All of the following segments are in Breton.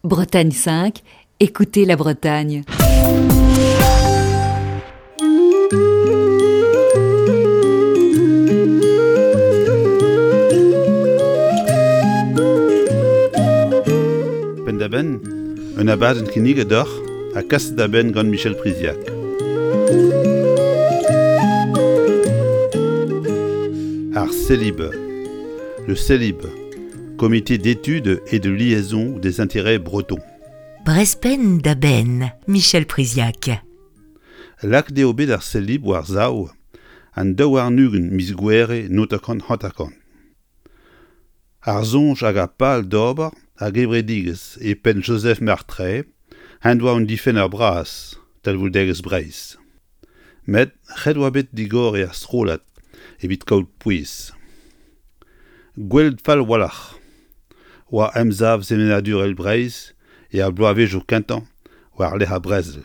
Bretagne 5, écoutez la Bretagne. Penn-da-benn, un abadenn kinniget deoc'h ha kaset da benn gant Michel Priziac. Ar Celib. Le Celib, Comité d'études et de liaison des intérêts bretons. Brezh penn da benn, Michel Priziac. Lakaet eo bet ar Celib war-sav an 22 miz Gouere 1950. Ar soñj hag ar pal d'ober ar gevredigezh e penn Joseph Martray en doa un difenner bras talvoudegezh Breizh. Met ret oa bet digoriñ ar strollad evit kaout pouez. Gwelet fall a-walc'h oa emsav sevenadurel Breizh er bloavezhioù kentañ war-lerc'h ar brezel.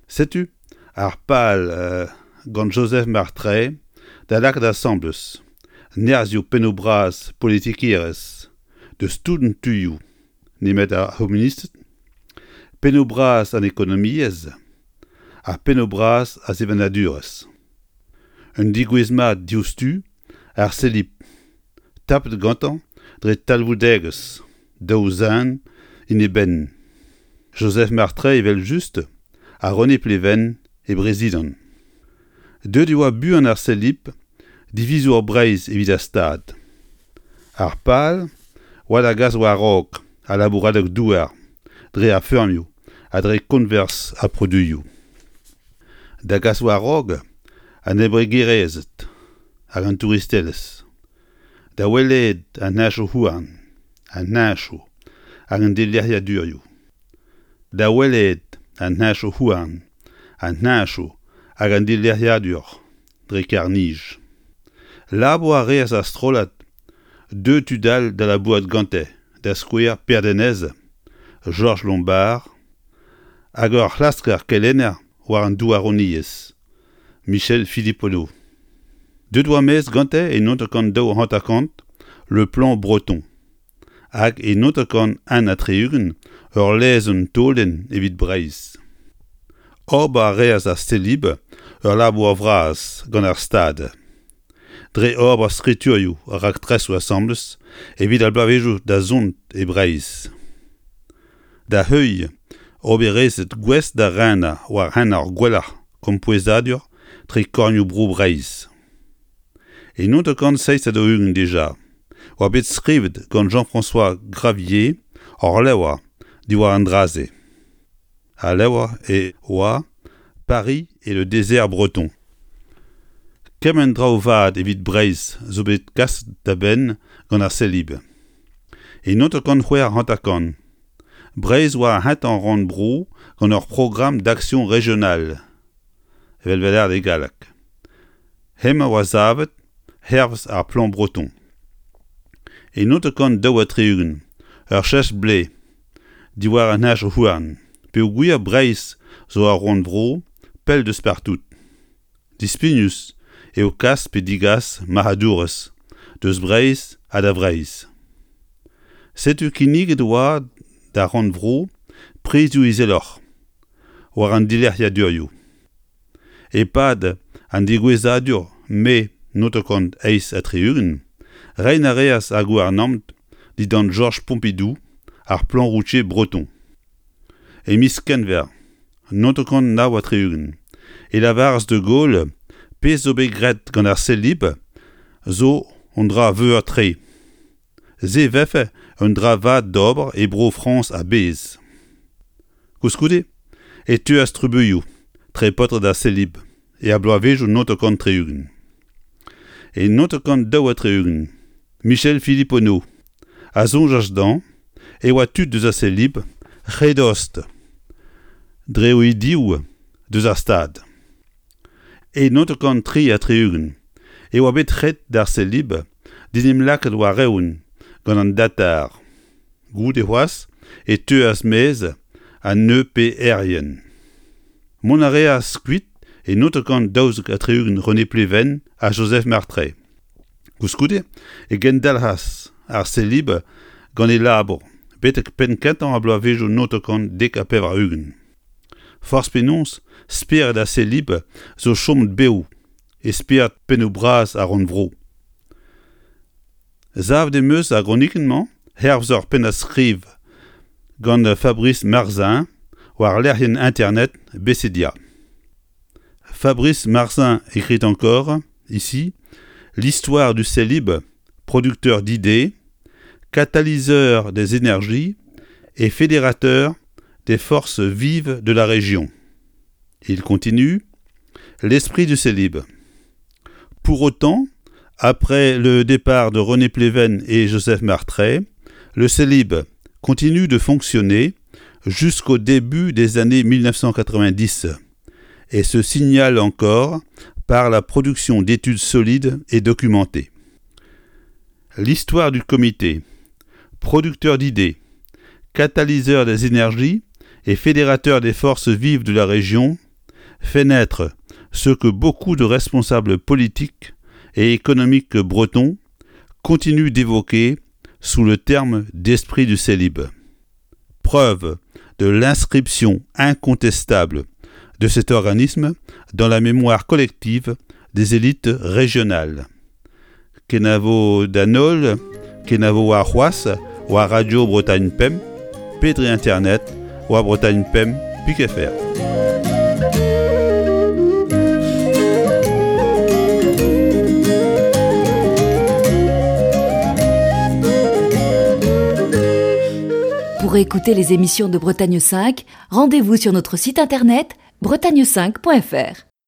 Setu ar pal gant Joseph Martray da lakaat asambles nerzhioù pennoù-bras politikerezh deus tout an tuioù nemet ar c'homunisted, pennoù-bras an ekonomiezh ha pennoù-bras ar sevenadurezh. Un degouezh mat diouzhtu ar Celib, tapet gantañ dre talvoudegezh daou zen en e benn, Joseph Martray evel-just ha René Pleven e brezidant. Deuet e oa buan ar Celib divizour Breizh evit ar Stad. Ar pal oa da gas war-raok al labouradeg-douar dre ar feurmioù ha dre koñvers ar produioù. Da gas war-raok an embregerezed hag an touristelezh. Da welet an henchoù-houarn, an henchoù hag an dilec'hiadurioù. Da welet an henchoù-houarn, an henchoù hag an dilec'hiadur dre karr-nij. Labour a reas ar strollad deuet tud all da labourat gante, da skouer Per Denez, Jorj Lombard hag ur c'hlasker kelenner war an douaroniezh, Michel Philipponneau. Deuet oa maez gante e 1952 Le Plan Breton. Hag e 1961 ur lezenn taolenn evit Breizh. Ober a reas ar Celib ur labour vras gant ar Stad, dre ober skriturioù ha raktresoù asambles evit ar bloavezhioù da zont e Breizh. Da heuilh oberezed gouest da renañ war hent ar gwellañ kempouezadur tre kornioù-bro Breizh. E 1947 dija oa bet skrivet gant Jean-François Gravier ur levr diwar an dra-se. Al levr e oa Paris et le désert breton. Kement traoù vat evit Breizh zo bet kaset da benn gant ar Celib. E 1956, Breizh oa ar c'hentañ rannvro gant ur programme d'action régionale, evel 'vel e galleg. Hemañ oa savet hervez ar Plan Breton. E 1962, ur cheñch-blez diwar an henchoù-houarn peogwir Breizh zo ur rannvro pell deus partout. Dispignus eo kas pe digas marc'hadourezh deus Breizh ha da Vreizh. Setu kinniget oa d'ar rannvro prizioù izeloc'h war an dilec'hiadurioù. E-pad an degouezhadur Mae 1968, reiñ a reas ar gouarnamant dindan Jorj Pompidou ar Plan routier breton. E miz Kenver 1969 e lavaras de Gaulle pezh zo bet graet gant ar Celib zo un dra veur-tre. Se 'vefe un dra vat d'ober e Bro-Frañs a-bezh. Koulskoude e teuas trubuilhoù tre paotred ar Celib er bloavezhioù 1960. E 1962, Michel Philipponneau a soñjas dezhañ e oa tud deus ar Celib re dost dre o idioù deus ar Stad. E 1963 e oa bet ret d'ar Celib d'en em lakaat war-eeun gant an datar. Goude c'hoazh e teuas maez an EPR-ien. Mont a reas kuit e 1972 René Pleven ha Joseph Martray. Koulskoude e gendalc'has ar Celib gant e labour. betek penn-kentañ ar bloavezhioù 1990. Forzh penaos, spered ar Celib zo chomet bev e spered pennoù-bras ar rannvro. Savet em eus ar gronikenn-mañ hervez ur pennad-skriv gant Fabrice Marzin war lec'hienn internet Becedia. Fabrice Marzin écrit encore, ici, l'histoire du Célib, producteur d'idées, catalyseur des énergies et fédérateur des forces vives de la région. Il continue l'esprit du Célib. Pour autant, après le départ de René Pleven et Joseph Martray, le Célib continue de fonctionner jusqu'au début des années 1990 et se signale encore par la production d'études solides et documentées. L'histoire du comité, producteur d'idées, catalyseur des énergies et fédérateur des forces vives de la région, fait naître ce que beaucoup de responsables politiques et économiques bretons continuent d'évoquer sous le terme d'esprit du Célib. Preuve de l'inscription incontestable de cet organisme dans la mémoire collective des élites régionales. Kenavo d'an holl, kenavo warc'hoazh war Radio Bretagne Pemp pe dre internet war Bretagne Pemp pik fr. Pour écouter les émissions de Bretagne 5, rendez-vous sur notre site internet bretagne5.fr.